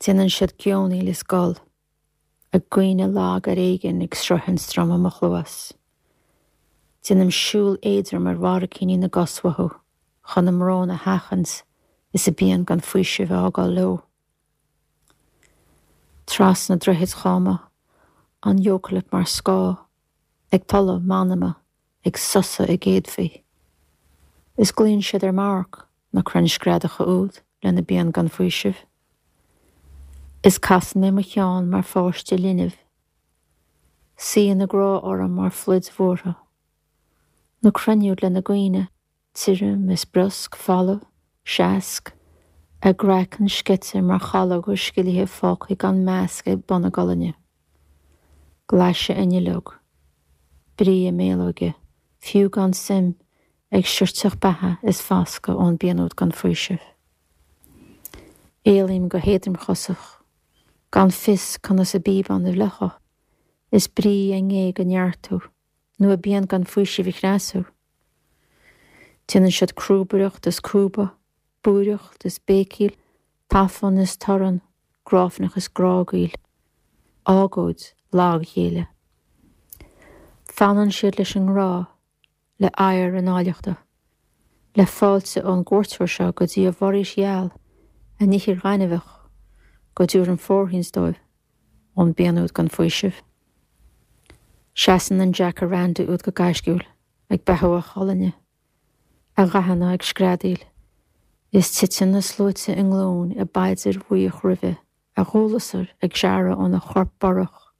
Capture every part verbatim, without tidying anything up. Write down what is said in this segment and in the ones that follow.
Déanann siad geonaíl is gol, a gcaoineadh lag ar éigean ag sroichint droma mo chluas. Déanaim siúl éadrom ar bharraicíní na gcos uathu chun a mbrón a sheachaint is a bpian gan faoiseamh a fhágáil leo. Trasna droichid cháma, an eocailip mar scáth, ag tolladh m'anama, ag sosadh a gcéadfaí. Is glaonn siad ar m'amharc na crainn screadacha úd lena bpian gan faoiseamh. Is casann mé mo cheann mar pháiste linbh. Suíonn a grá orm mar phluid bhuartha. Na crainn úd lena gcaoineadh, tirim is briosc, folamh, seasc, a gcraiceann sceite mar chalóga scilithe fágtha gan measc ag bun a gcolainne. Glaise a nduilleog, brí a mbéalóige, fiú gan suim, ag sirteach beatha is foscadh ón bpian úd gan faoiseamh. Éalaím go héadromchosach, gan fios conas a bpíobán a fhliuchadh, is brí a ngéag a neartú, nó a bpian gan faoiseamh a chneasú. Déanann siad crúbaireacht is cúbadh, búireacht is béicíl, tafann is torann, gráifneach is grágaíl, agóid lag-ghéilleadh. Fanann siad leis an ngrá, le adhar a n-áilleachta, le fáilte ón gcuairteoir seo go dtí a bhforaois gheal, a n-ithir ghainmheach, go dtabharfainn fóirithint dóibh ón bpian úd gan faoiseamh. Seasann an jacaranda úd go gaisciúil, ag beathú a cholainne, a dhathanna ag screadaíl, is titeann na sluaite i nglúin i bpaidir bhuíoch roimhe, a dhúlasair ag searradh óna chorp borrach,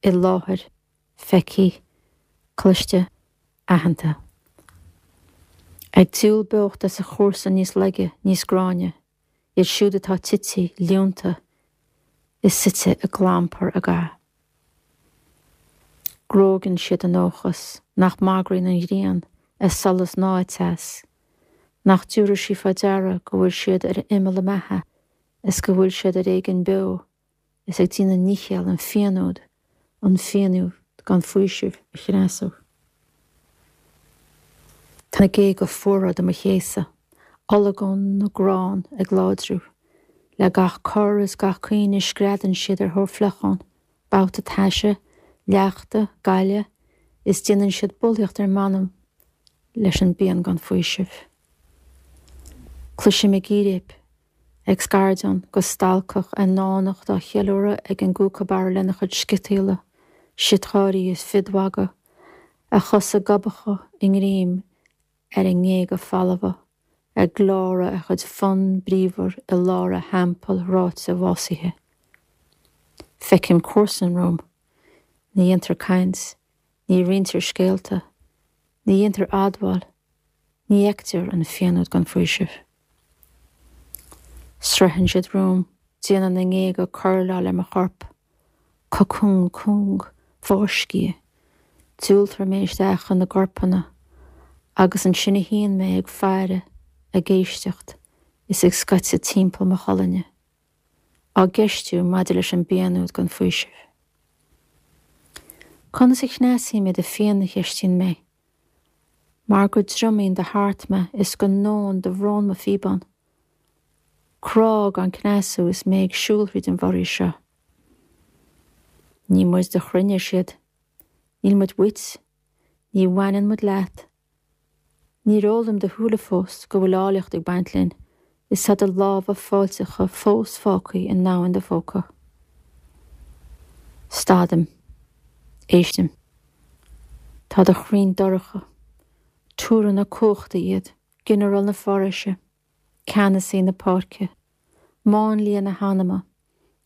i láthair, feicthe, cloiste, aitheanta. Ag diúl beocht as a chúrsa níos laige, níos gráinne, iad siúd atá tite, líonta, is suite i gclampar a gcath. Grógann siad a ndóchas nach mbagraíonn an ghrian, a solas ná a teas, nach dtabharfaidh sí faoi deara go bhfuil siad ar imeall a mbeatha is go bhfuil siad ar éigean beo is ag déanamh ndícheall an phian úd, an phian úd gan faoiseamh a chneasú. Tá na géaga fuara do mo chéasadh, olagón na gcrann ag láidriú, le gach cor is gach caoineadh screadann siad ar thóir fliucháin, babhta taise, leachta, gaile, is déanann siad bulaíocht ar m'anam leis an bpian gan faoiseamh. Cloisim a gcíréip, ag scairdeán go stalcach a ndánacht á cheiliúradh ag an gcúcabarra lena chuid sciotaíola, siotgháirí is fidmhagadh, a chosa gobacha i ngreim ar a ngéaga folmha, ag gleoradh a chuid fonn bríomhar i lár a theampaill ráite bhásaithe. Feicim comharsan romham. Ní dhéantar caint, ní roinntear scéalta, ní dhéantar admháil, ní fheictear an phian úd gan faoiseamh. Sroicheann siad romham, déanann a ngéaga coirleáil ar mo chorp, cocún cúng, fáiscthe, diúltar mé isteach ina gcorpanna, agus ansin a shuíonn mé ag faire, ag éisteacht, is ag scaiteadh timpeall mo cholainne, á gceistiú maidir leis an bpian úd gan faoiseamh. Conas a chneasaím mé do phian a cheistíonn mé, mar go dtriomaíonn do thart mé is go ndónn do bhrón mo phíobán. Crá gan cneasú is mé ag siúl thríd an bhforaois seo. Ní muid do chruinne, ar siad. Níl muid uait. Ní bhaineann muid leat. Níor fhoghlaim do shúile fós go bhfuil áilleacht ag baint linn is tá do lámha fáilteacha fós fágtha i ndomhan do phóca. Stadaim. Éistim. Tá do chrainn dorcha. Túranna cumhachta iad, ginearál na foraoise, ceannasaí na páirce, máinlia na hanama,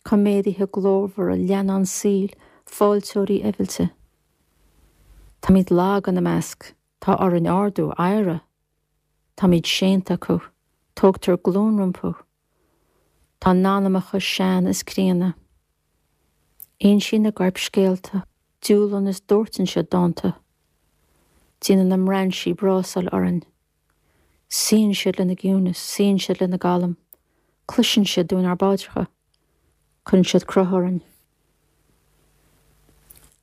coimeádaithe glórmhara, leannán saoil, fáilteoirí eibhilte. Táimid lag ina measc. Tá orainn ardú, adhradh. Táimid séanta acu. Tógtar glúin rompu. Tá a n-anamacha sean is críonna. Insíonn a gcoirp scéalta, diúlann is dóirteann siad dánta. Déanann a mbrainsí brásáil orainn. Suíonn siad lena gciúnas, suíonn siad lena gcalm. Cloiseann siad dúinn ár bpaidreacha. Cuireann siad cruth orainn.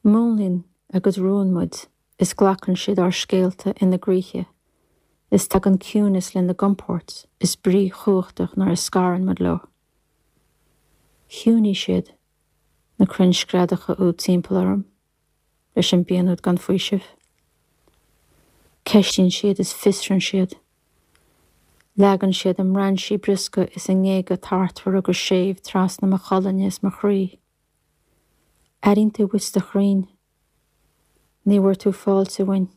Múnlaíonn a gcuid rún muid. Is glacann siad ár scéalta ina gcroíthe, is tagann ciúnas lena gcompord is brí chumhachtach nuair a scarann muid leo. Chiúnaigh siad, na crainn screadacha úd timpeall orm, leis an bpian úd gan faoiseamh. Ceistíonn siad is fiosraíonn siad. Leagann siad a mbrainsí briosca is a ngéaga tartmhara go séimh trasna mo cholainne is mo chroí. Airíonn tú uait do chrainn. Ní bhfuair tú fáilte uainn.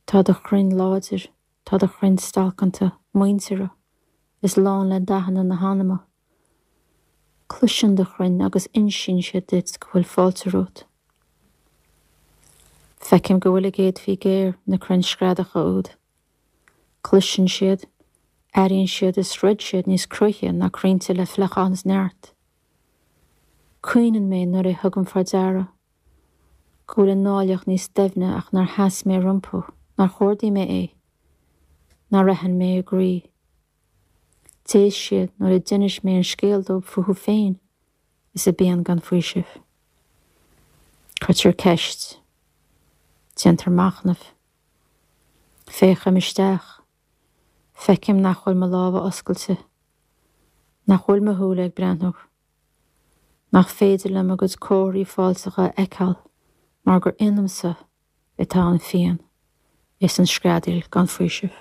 Tá do chrainn láidir, tá do chrainn stalcanta, muinteartha, is lán le dathanna na hanama. Cloiseann do chrainn agus insíonn siad duit go bhfuil fáilte romhat. Feicim go bhfuil a gcéadfaí géar, na crainn screadacha úd. Cloiseann siad, airíonn siad is throid siad níos cruaithe ná crainnte le fliuchán is neart. Caoineann mé nuair a thugaim faoi deara go bhfuil a n-áilleacht níos doimhne ach nár sheas mé rompu, nár chordaigh mé é, nár aithin mé a gcroí. D'éist siad nuair a d'inis mé an scéal dóibh fúthu féin is a bpian gan faoiseamh. Cuirtear ceist. Déantar machnamh. Féachaim isteach. Feicim nach bhfuil mo lámha oscailte. Nach bhfuil mo shúile ag breathnú. Nach féidir liom a gcuid comharthaí fáilteacha a fheiceáil mar gur ionamsa atá an phian is an screadaíl gan faoiseamh.